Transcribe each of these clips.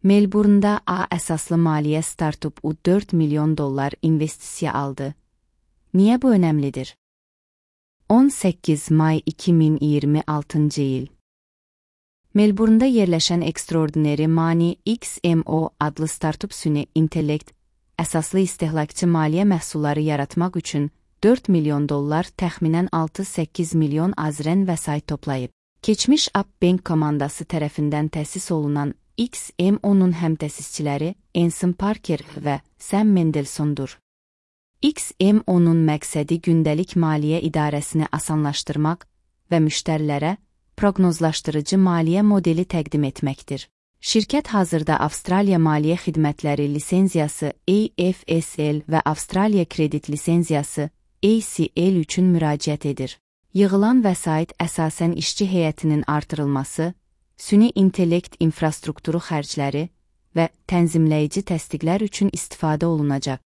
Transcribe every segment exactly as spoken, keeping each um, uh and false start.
Melbourne'da A əsaslı maliyyə startup-u dörd milyon dollar investisiya aldı. Niyə bu önəmlidir? on səkkiz may iki min iyirmi altıncı il. Melbourne'da yerləşən Extraordinary Money X M O adlı startup süni intellekt əsaslı istehlakçı maliyyə məhsulları yaratmaq üçün dörd milyon dollar təxminən altı səkkiz milyon azren vəsait toplayıb. Keçmiş Upbank komandası tərəfindən təsis olunan X M O'nun həmtəsisçiləri Anson Parker və Sam Mendelssohn'dur. X M O'nun məqsədi gündəlik maliyyə idarəsini asanlaşdırmaq və müştərilərə proqnozlaşdırıcı maliyyə modeli təqdim etməkdir. Şirkət hazırda Avstraliya Maliyyə Xidmətləri lisenziyası A F S L və Avstraliya Kredit lisenziyası A C L üçün müraciət edir. Yığılan vəsait əsasən işçi heyətinin artırılması, süni intellekt infrastrukturu xərcləri və tənzimləyici təsdiqlər üçün istifadə olunacaq.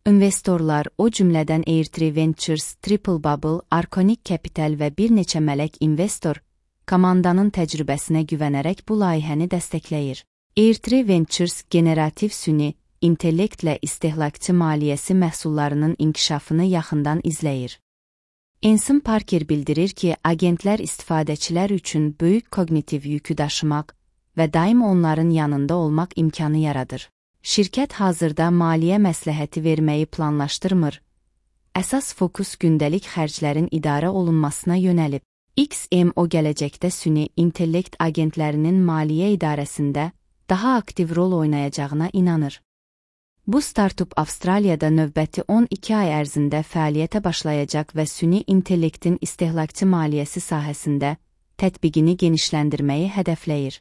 İnvestorlar, o cümlədən Airtree Ventures, Triple Bubble, Arconic Capital və bir neçə mələk investor, komandanın təcrübəsinə güvənərək bu layihəni dəstəkləyir. Airtree Ventures generativ süni intellektlə istehlakçı maliyyəsi məhsullarının inkişafını yaxından izləyir. Anson Parker bildirir ki, agentlər istifadəçilər üçün böyük kognitiv yükü daşımaq və daim onların yanında olmaq imkanı yaradır. Şirkət hazırda maliyyə məsləhəti verməyi planlaşdırmır. Əsas fokus gündəlik xərclərin idarə olunmasına yönəlib. X M O gələcəkdə süni intellekt agentlərinin maliyyə idarəsində daha aktiv rol oynayacağına inanır. Bu startup Avstraliyada növbəti on iki ay ərzində fəaliyyətə başlayacaq və süni intellektin istehlakçı maliyyəsi sahəsində tətbiqini genişləndirməyi hədəfləyir.